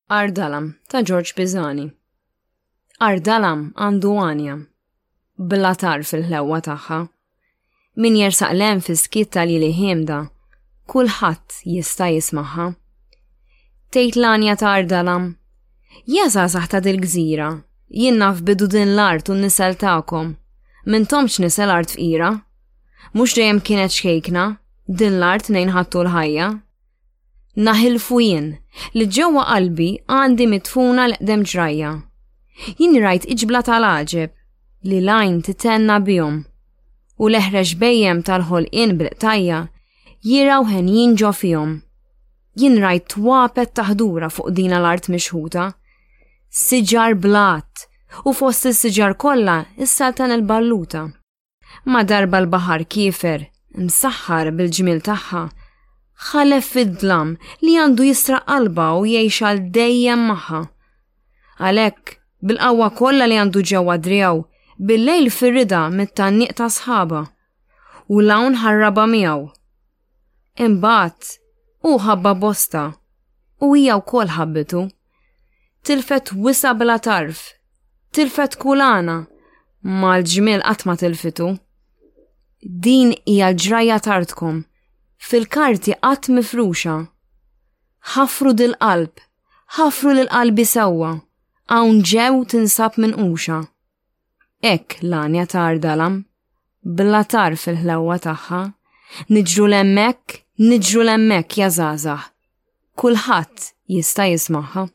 Ardalam ta' Ġorġ Pisani. Ardalam għandu għanja. Bla tarf il-ħlewwa tagħha. Min jersaq lem fis-skiet tal-ili ħiemda, kulħadd jista' jismagħha. Tgħid l-għanja ta' Ardalam, Ja żgħażagħ ta' dil-gżira, jien naf bidu din l-art u n-nisel tagħkom. M'intomx nisel art fqira. Mhux dejjem kienet xkejkna, din l-art nejn ħadtu l-ħajja. Naħilfu jien li ġewwa qalbi għandi midfuna l-eqdem ġrajja. Jien rajt iġbla tal-għaġeb li l-għajn titenna bihom u l-eħrex bejjem tal-ħolqien bil-qtajja jiraw henjin ġo fihom. Jien rajt twapet taħdura fuq dina l-art mixħuta, siġar blat u fost is-siġar kollha is-saltan il-balluta. Ma darba l-baħar kiefer, msaħħar bil-ġmiel tagħha, ħalef fid-dlam li għandu jisraq qalbha u jgħix għal dejjem magħha. Għalhekk, bil-qawwa kollha li għandu ġewwa driegħu, bil-lejl firida mit-tgħanniq ta' sħaba. U l-hawn ħarrabha miegħu. Imbagħad, hu ħabba bosta u hija wkoll ħabbitu. Tilfet wisa bla tarf, tilfet kulana, ma l-ġmiel qatt ma tilfitu. Din hija l-ġrajja tartkom, fil-karti qatt mifruxa. Ħafru dil-qalb, ħafru lil qalbi sewwa, hawn ġew tinsab minquxa. Hekk l-għanja ta' Ardalam, bla tarf il-ħlewwa tagħha, niġru 'l hemmhekk, niġru 'l hemmhekk ja żgħażagħ. Kulħadd jista' jismagħha.